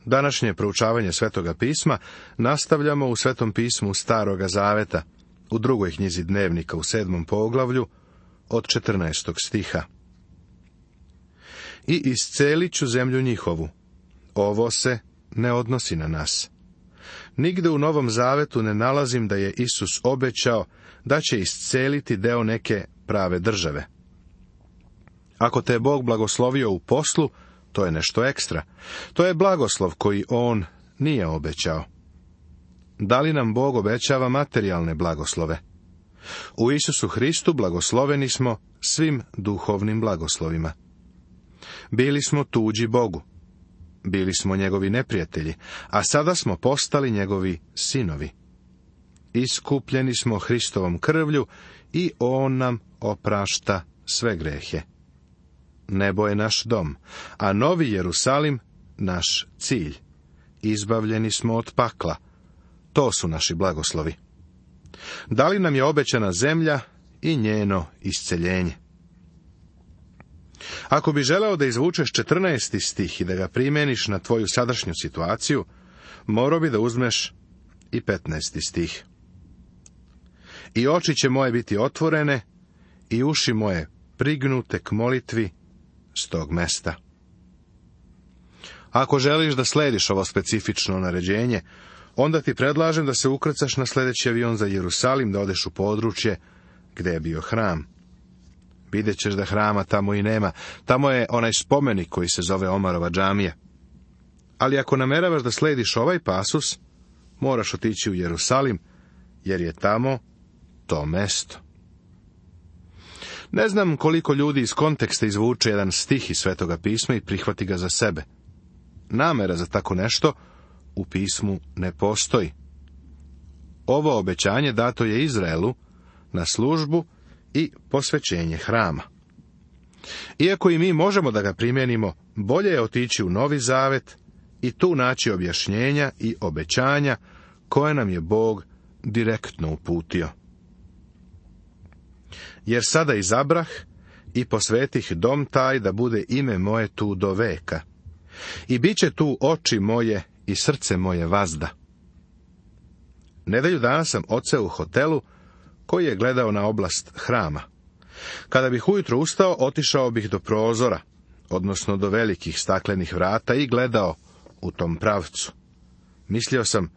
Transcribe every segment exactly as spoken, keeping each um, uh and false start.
Današnje proučavanje Svetoga pisma nastavljamo u Svetom pismu Staroga zaveta, u drugoj knjizi Dnevnika u sedmom poglavlju, od četrnaestog stiha. I iscelit ću zemlju njihovu. Ovo se ne odnosi na nas. Nigde u Novom zavetu ne nalazim da je Isus obećao da će isceliti deo neke prave države. Ako te je Bog blagoslovio u poslu, to je nešto ekstra. To je blagoslov koji on nije obećao. Da li nam Bog obećava materijalne blagoslove? U Isusu Hristu blagosloveni smo svim duhovnim blagoslovima. Bili smo tuđi Bogu. Bili smo njegovi neprijatelji, a sada smo postali njegovi sinovi. Iskupljeni smo Hristovom krvlju i on nam oprašta sve grehe. Nebo je naš dom, a Novi Jerusalim naš cilj. Izbavljeni smo od pakla. To su naši blagoslovi. Da li nam je obećana zemlja i njeno isceljenje? Ako bi želeo da izvučeš četrnaesti stih i da ga primeniš na tvoju sadašnju situaciju, morao bi da uzmeš i petnaesti stih. I oči će moje biti otvorene i uši moje prignute k molitvi s tog mesta. Ako želiš da slediš ovo specifično naređenje, onda ti predlažem da se ukrcaš na sljedeći avion za Jerusalim, da odeš u područje gde je bio hram. Vidjet ćeš da hrama tamo i nema. Tamo je onaj spomenik koji se zove Omarova džamija. Ali ako nameravaš da slediš ovaj pasus, moraš otići u Jerusalim, jer je tamo to mesto. Ne znam koliko ljudi iz konteksta izvuče jedan stih iz Svetoga pisma i prihvati ga za sebe. Namera za tako nešto u pismu ne postoji. Ovo obećanje dato je Izraelu na službu i posvećenje hrama. Iako i mi možemo da ga primijenimo, bolje je otići u Novi Zavet i tu naći objašnjenja i obećanja koje nam je Bog direktno uputio. Jer sada izabrah i posvetih dom taj da bude ime moje tu do veka. I bit će tu oči moje i srce moje vazda. Nedelju dana sam odseo u hotelu koji je gledao na oblast hrama. Kada bih ujutro ustao, otišao bih do prozora, odnosno do velikih staklenih vrata i gledao u tom pravcu. Mislio sam,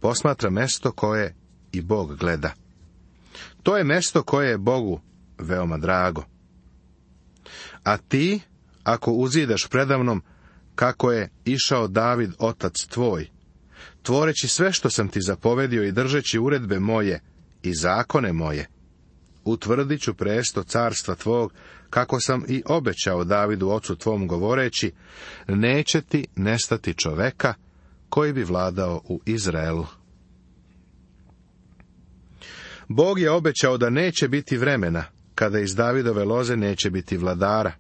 posmatra mesto koje i Bog gleda. To je mesto koje je Bogu veoma drago. A ti, ako uzidaš predamnom kako je išao David otac tvoj, tvoreći sve što sam ti zapovedio i držeći uredbe moje i zakone moje, utvrdit ću presto carstva tvog, kako sam i obećao Davidu ocu tvom govoreći, neće ti nestati čoveka koji bi vladao u Izraelu. Bog je obećao da neće biti vremena kada iz Davidove loze neće biti vladara.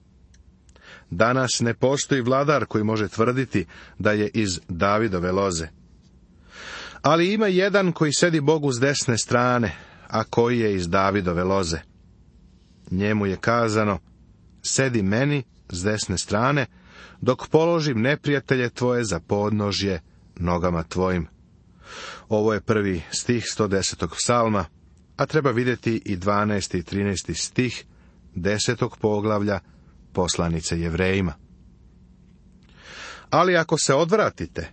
Danas ne postoji vladar koji može tvrditi da je iz Davidove loze. Ali ima jedan koji sedi Bogu s desne strane, a koji je iz Davidove loze. Njemu je kazano, sedi meni s desne strane, dok položim neprijatelje tvoje za podnožje nogama tvojim. Ovo je prvi stih sto desetog psalma, a treba vidjeti i dvanaesti i trinaesti stih desetog poglavlja poslanice Jevrejima. Ali ako se odvratite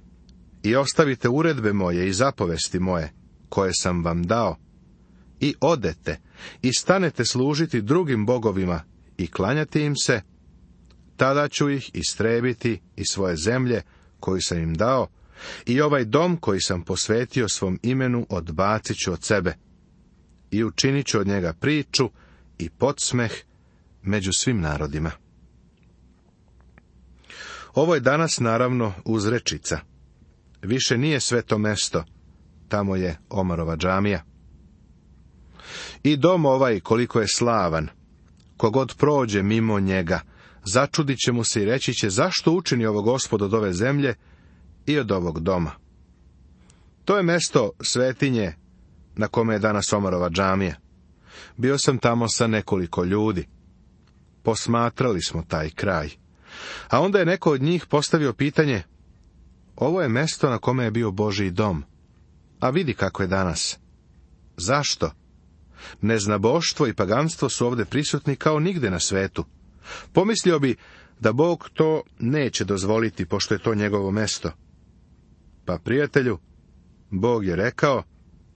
i ostavite uredbe moje i zapovesti moje, koje sam vam dao, i odete i stanete služiti drugim bogovima i klanjati im se, tada ću ih istrebiti iz svoje zemlje koju sam im dao, i ovaj dom koji sam posvetio svom imenu odbacit ću od sebe, i učinit ću od njega priču i podsmeh među svim narodima. Ovo je danas naravno uzrečica. Više nije sveto mesto, tamo je Omarova džamija. I dom ovaj koliko je slavan, kogod prođe mimo njega, začudit će mu se i reći će, zašto učini ovo Gospod od ove zemlje i od ovog doma. To je mesto svetinje na kome je danas Omarova džamija. Bio sam tamo sa nekoliko ljudi. Posmatrali smo taj kraj. A onda je neko od njih postavio pitanje, ovo je mesto na kome je bio Božji dom. A vidi kako je danas. Zašto? Neznaboštvo i paganstvo su ovdje prisutni kao nigde na svetu. Pomislio bi da Bog to neće dozvoliti, pošto je to njegovo mesto. Pa, prijatelju, Bog je rekao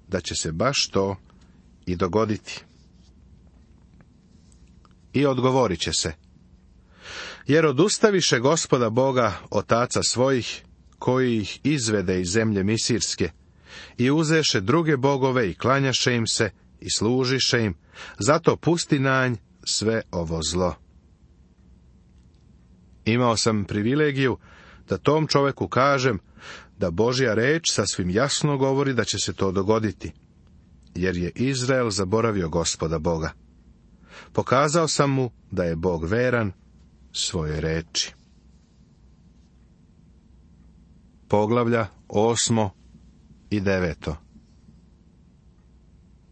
da će se baš to i dogoditi. I odgovorit će se. Jer odustaviše Gospoda Boga, otaca svojih, koji ih izvede iz zemlje Misirske, i uzeše druge bogove i klanjaše im se i služiše im, zato pusti na nj sve ovo zlo. Imao sam privilegiju da tom čoveku kažem da Božja reč sasvim jasno govori da će se to dogoditi, jer je Izrael zaboravio Gospoda Boga. Pokazao sam mu da je Bog veran svojoj reči. Poglavlja osmo i deveto.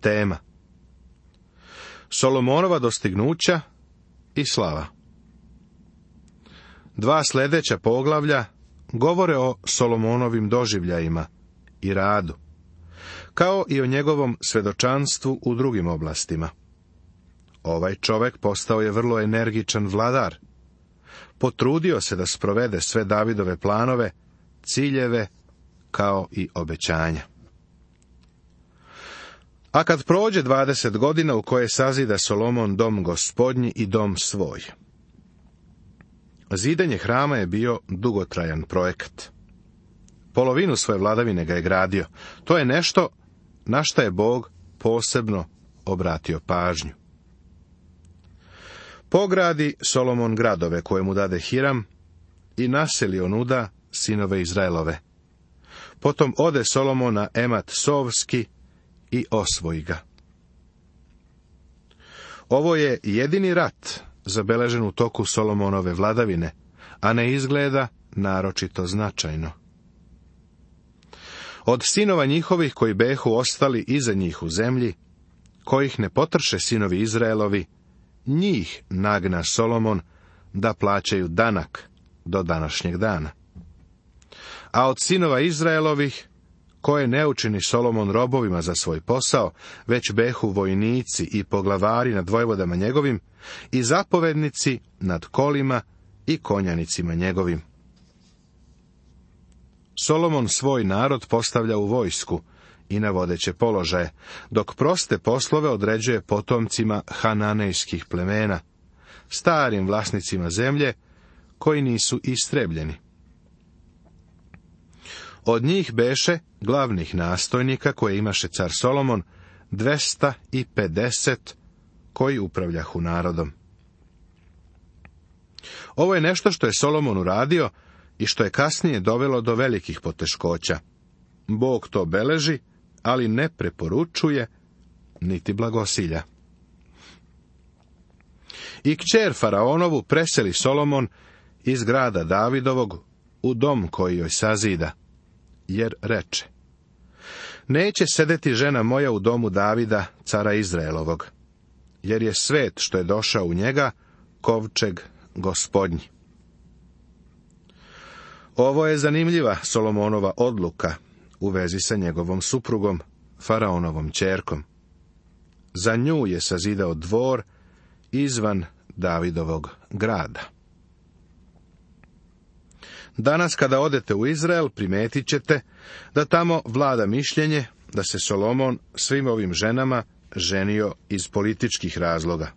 Tema: Solomonova dostignuća i slava. Dva sljedeća poglavlja govore o Solomonovim doživljajima i radu, kao i o njegovom svedočanstvu u drugim oblastima. Ovaj čovjek postao je vrlo energičan vladar. Potrudio se da sprovede sve Davidove planove, ciljeve, kao i obećanja. A kad prođe dvadeset godina u koje sazida Solomon dom gospodnji i dom svoj. Zidanje hrama je bio dugotrajan projekat. Polovinu svoje vladavine ga je gradio. To je nešto na šta je Bog posebno obratio pažnju. Pogradi Solomon gradove koje mu dade Hiram i naseli onuda sinove Izraelove. Potom ode Solomon na Emat Sovski i osvoji ga. Ovo je jedini rat zabeležen u toku Solomonove vladavine, a ne izgleda naročito značajno. Od sinova njihovih koji behu ostali iza njih u zemlji, kojih ne potrše sinovi Izraelovi, njih nagna Solomon da plaćaju danak do današnjeg dana. A od sinova Izraelovih, koje ne učini Solomon robovima za svoj posao, već behu vojnici i poglavari nad vojvodama njegovim, i zapovednici nad kolima i konjanicima njegovim. Solomon svoj narod postavlja u vojsku i na vodeće položaje, dok proste poslove određuje potomcima hananejskih plemena, starim vlasnicima zemlje, koji nisu istrebljeni. Od njih beše glavnih nastojnika koje imaše car Solomon, dvesta pedeset koji upravljahu narodom. Ovo je nešto što je Solomon uradio i što je kasnije dovelo do velikih poteškoća. Bog to beleži, ali ne preporučuje, niti blagosilja. I kćer faraonovu preseli Solomon iz grada Davidovog u dom koji joj sazida, jer reče: Neće sedeti žena moja u domu Davida, cara Izraelovog, jer je svet što je došao u njega kovčeg gospodnji. Ovo je zanimljiva Solomonova odluka u vezi sa njegovom suprugom, faraonovom ćerkom. Za nju je sazidao dvor izvan Davidovog grada. Danas kada odete u Izrael, primetit ćete da tamo vlada mišljenje da se Solomon svim ovim ženama ženio iz političkih razloga.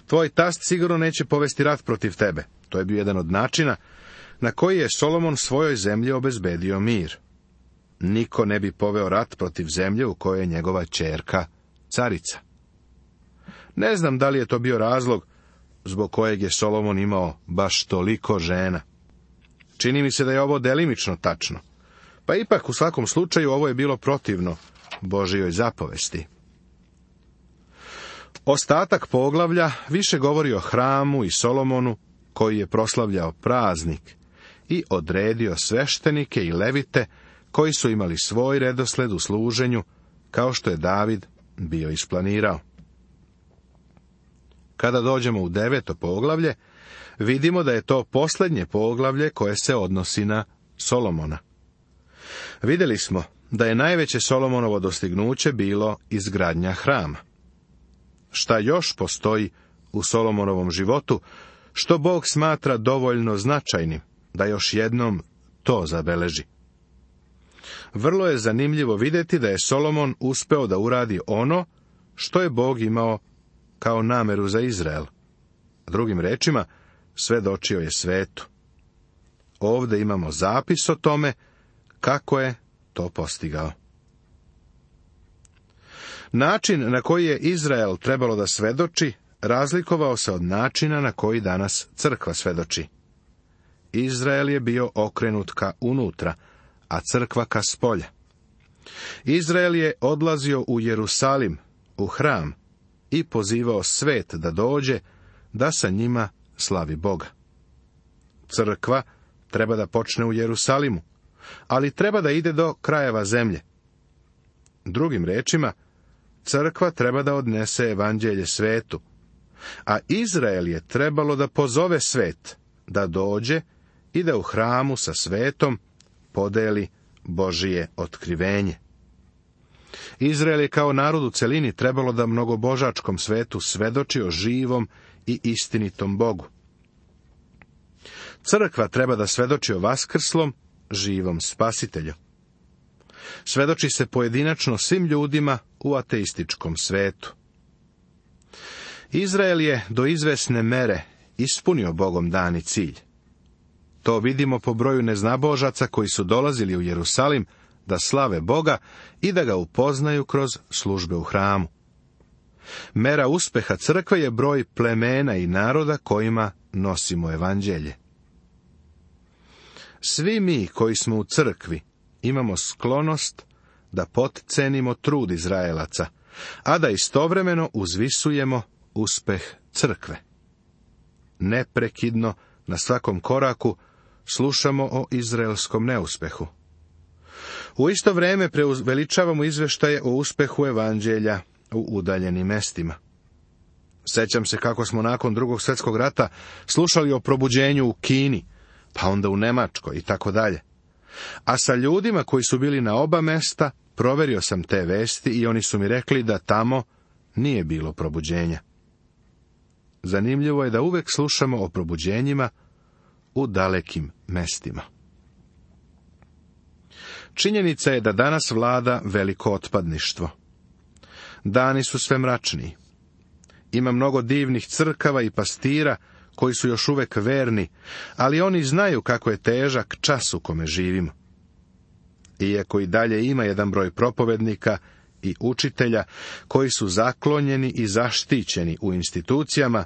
Tvoj tast sigurno neće povesti rat protiv tebe. To je bio jedan od načina na koji je Solomon svojoj zemlji obezbedio mir. Niko ne bi poveo rat protiv zemlje u kojoj je njegova ćerka carica. Ne znam da li je to bio razlog zbog kojeg je Solomon imao baš toliko žena. Čini mi se da je ovo delimično tačno, pa ipak u svakom slučaju ovo je bilo protivno Božijoj zapovesti. Ostatak poglavlja više govori o hramu i Solomonu, koji je proslavljao praznik i odredio sveštenike i levite, koji su imali svoj redosled u služenju, kao što je David bio isplanirao. Kada dođemo u deveto poglavlje, vidimo da je to posljednje poglavlje koje se odnosi na Solomona. Vidjeli smo da je najveće Solomonovo dostignuće bilo izgradnja hrama. Šta još postoji u Solomonovom životu, što Bog smatra dovoljno značajnim da još jednom to zabeleži? Vrlo je zanimljivo vidjeti da je Solomon uspeo da uradi ono što je Bog imao kao nameru za Izrael. Drugim rečima, svedočio je svetu. Ovdje imamo zapis o tome kako je to postigao. Način na koji je Izrael trebalo da svedoči razlikovao se od načina na koji danas crkva svedoči. Izrael je bio okrenut ka unutra, a crkva ka spolja. Izrael je odlazio u Jerusalim, u hram, i pozivao svet da dođe, da sa njima slavi Boga. Crkva treba da počne u Jerusalimu, ali treba da ide do krajeva zemlje. Drugim rečima, crkva treba da odnese evanđelje svetu, a Izrael je trebalo da pozove svet, da dođe i da u hramu sa svetom podeli Božije otkrivenje. Izrael je kao narod u celini trebalo da mnogobožačkom svetu svedoči o živom i istinitom Bogu. Crkva treba da svedoči o vaskrslom, živom spasitelju. Svedoči se pojedinačno svim ljudima u ateističkom svetu. Izrael je do izvesne mere ispunio Bogom dani cilj. To vidimo po broju neznabožaca koji su dolazili u Jerusalim da slave Boga i da ga upoznaju kroz službe u hramu. Mera uspeha crkve je broj plemena i naroda kojima nosimo evanđelje. Svi mi koji smo u crkvi imamo sklonost da potcenimo trud Izraelaca, a da istovremeno uzvisujemo uspeh crkve. Neprekidno, na svakom koraku, slušamo o izraelskom neuspehu. U isto vrijeme preuveličavamo izveštaje o uspehu evanđelja u udaljenim mestima. Sjećam se kako smo nakon drugog svjetskog rata slušali o probuđenju u Kini, pa onda u Nemačkoj i tako dalje. A sa ljudima koji su bili na oba mesta, proverio sam te vesti i oni su mi rekli da tamo nije bilo probuđenja. Zanimljivo je da uvek slušamo o probuđenjima u dalekim mestima. Činjenica je da danas vlada veliko otpadništvo. Dani su sve mračniji. Ima mnogo divnih crkava i pastira koji su još uvek verni, ali oni znaju kako je težak čas u kome živimo. Iako i dalje ima jedan broj propovednika i učitelja koji su zaklonjeni i zaštićeni u institucijama,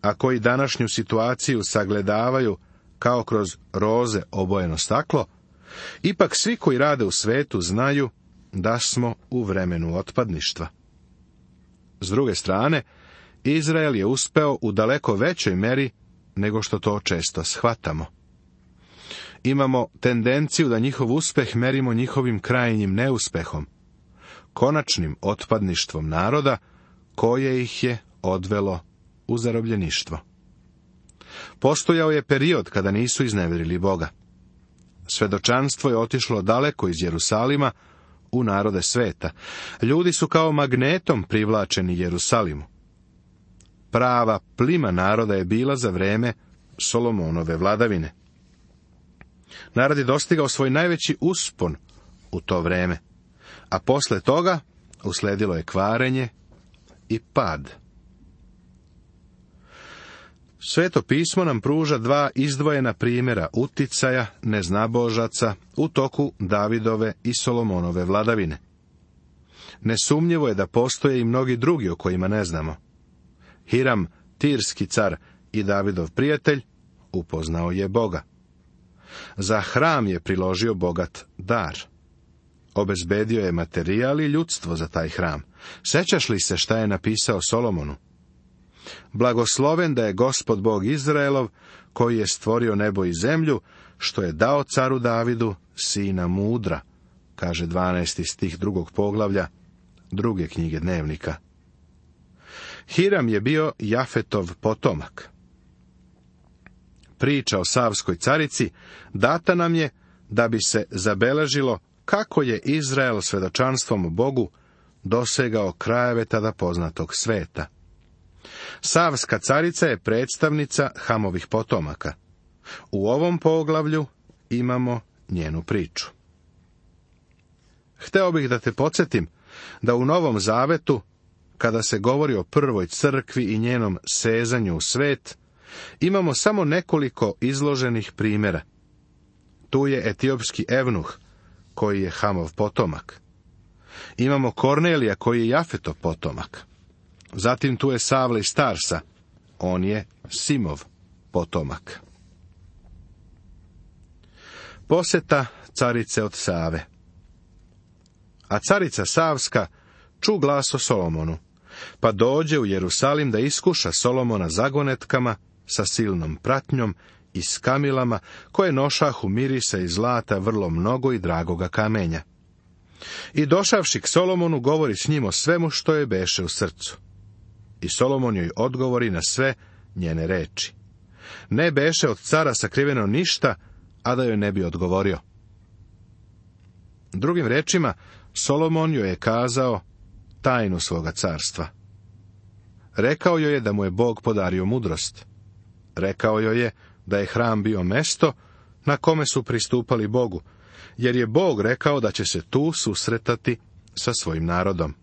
a koji današnju situaciju sagledavaju kao kroz roze obojeno staklo, ipak svi koji rade u svetu znaju da smo u vremenu otpadništva. S druge strane, Izrael je uspeo u daleko većoj meri nego što to često shvatamo. Imamo tendenciju da njihov uspeh merimo njihovim krajnjim neuspehom, konačnim otpadništvom naroda koje ih je odvelo u zarobljeništvo. Postojao je period kada nisu iznevjerili Boga. Svedočanstvo je otišlo daleko iz Jerusalima u narode sveta. Ljudi su kao magnetom privlačeni Jerusalimu. Prava plima naroda je bila za vreme Solomonove vladavine. Narod je dostigao svoj najveći uspon u to vreme, a posle toga usledilo je kvarenje i pad. Sveto pismo nam pruža dva izdvojena primjera uticaja neznabožaca u toku Davidove i Solomonove vladavine. Nesumnjivo je da postoje i mnogi drugi o kojima ne znamo. Hiram, tirski car i Davidov prijatelj, upoznao je Boga. Za hram je priložio bogat dar. Obezbedio je materijal i ljudstvo za taj hram. Sećaš li se šta je napisao Solomonu? Blagosloven da je Gospod Bog Izraelov, koji je stvorio nebo i zemlju, što je dao caru Davidu sina mudra, kaže dvanaesti stih drugog poglavlja druge knjige Dnevnika. Hiram je bio Jafetov potomak. Priča o Savskoj carici data nam je da bi se zabeležilo kako je Izrael svedočanstvom Bogu dosegao krajeve tada poznatog sveta. Savska carica je predstavnica Hamovih potomaka. U ovom poglavlju imamo njenu priču. Hteo bih da te podsjetim da u Novom Zavetu, kada se govori o prvoj crkvi i njenom sezanju u svet, imamo samo nekoliko izloženih primjera. Tu je etiopski evnuh, koji je Hamov potomak. Imamo Kornelija, koji je Jafetov potomak. Zatim tu je Savle iz Tarsa, on je Simov potomak. Poseta carice od Save. A carica Savska ču glas o Solomonu, pa dođe u Jerusalim da iskuša Solomona zagonetkama sa silnom pratnjom i s kamilama, koje nošahu mirisa i zlata vrlo mnogo i dragoga kamenja. I došavši k Solomonu, govori s njim o svemu što je beše u srcu. I Solomon joj odgovori na sve njene reči. Ne beše od cara sakriveno ništa, a da joj ne bi odgovorio. Drugim rečima, Solomon joj je kazao tajnu svoga carstva. Rekao joj je da mu je Bog podario mudrost. Rekao joj je da je hram bio mesto na kome su pristupali Bogu, jer je Bog rekao da će se tu susretati sa svojim narodom.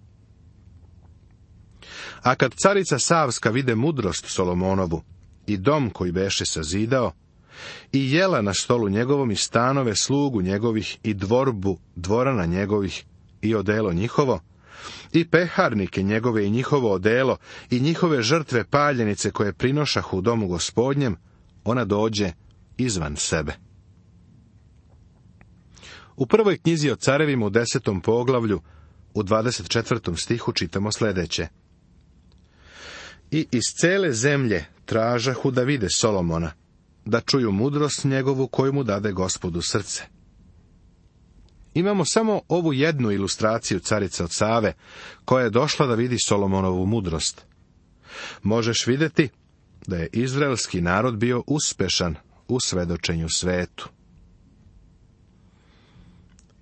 A kad carica Savska vide mudrost Solomonovu i dom koji beše sazidao, i jela na stolu njegovom i stanove slugu njegovih i dvorbu dvorana njegovih i odelo njihovo, i peharnike njegove i njihovo odelo i njihove žrtve paljenice koje prinošahu u domu Gospodnjem, ona dođe izvan sebe. U prvoj knjizi o carevima u desetom poglavlju, u dvadeset četvrtom stihu čitamo sljedeće. I iz cele zemlje tražahu da vide Solomona, da čuju mudrost njegovu koju mu dade Gospodu srce. Imamo samo ovu jednu ilustraciju carice od Save, koja je došla da vidi Solomonovu mudrost. Možeš vidjeti da je izraelski narod bio uspešan u svedočenju svetu.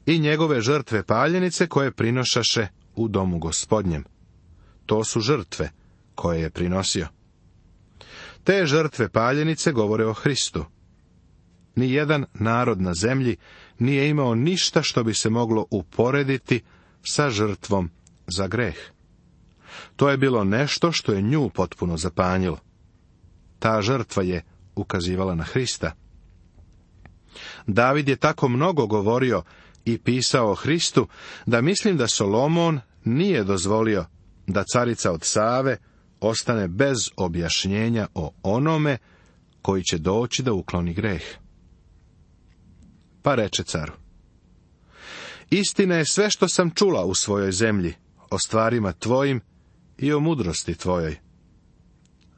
I njegove žrtve paljenice koje prinošaše u domu Gospodnjem. To su žrtve koje je prinosio. Te žrtve paljenice govore o Hristu. Nijedan narod na zemlji nije imao ništa što bi se moglo uporediti sa žrtvom za greh. To je bilo nešto što je nju potpuno zapanjilo. Ta žrtva je ukazivala na Hrista. David je tako mnogo govorio i pisao o Hristu, da mislim da Solomon nije dozvolio da carica od Save ostane bez objašnjenja o onome koji će doći da ukloni greh. Pa reče caru: istina je sve što sam čula u svojoj zemlji, o stvarima tvojim i o mudrosti tvojoj.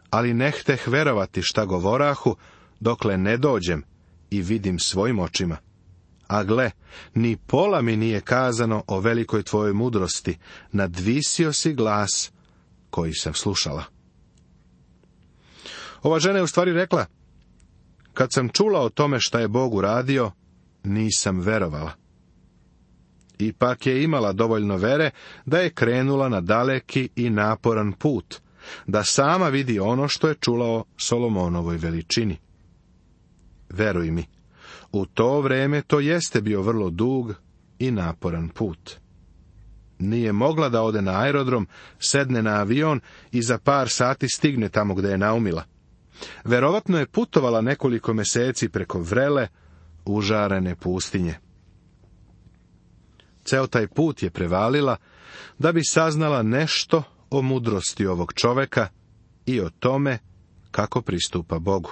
Ali ne hteh verovati šta govorahu, dokle ne dođem i vidim svojim očima. A gle, ni pola mi nije kazano o velikoj tvojoj mudrosti, nadvisio si glas koji sam slušala. Ova žena je u stvari rekla: kad sam čula o tome šta je Bog uradio, nisam verovala. Ipak je imala dovoljno vere da je krenula na daleki i naporan put, da sama vidi ono što je čula o Solomonovoj veličini. Veruj mi, u to vreme to jeste bio vrlo dug i naporan put. Nije mogla da ode na aerodrom, sedne na avion i za par sati stigne tamo gde je naumila. Verovatno je putovala nekoliko meseci preko vrele, užarene pustinje. Ceo taj put je prevalila da bi saznala nešto o mudrosti ovog čoveka i o tome kako pristupa Bogu.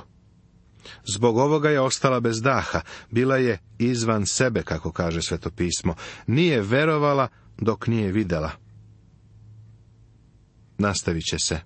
Zbog ovoga je ostala bez daha, bila je izvan sebe, kako kaže Sveto pismo. Nije verovala dok nije videla. Nastavit će se.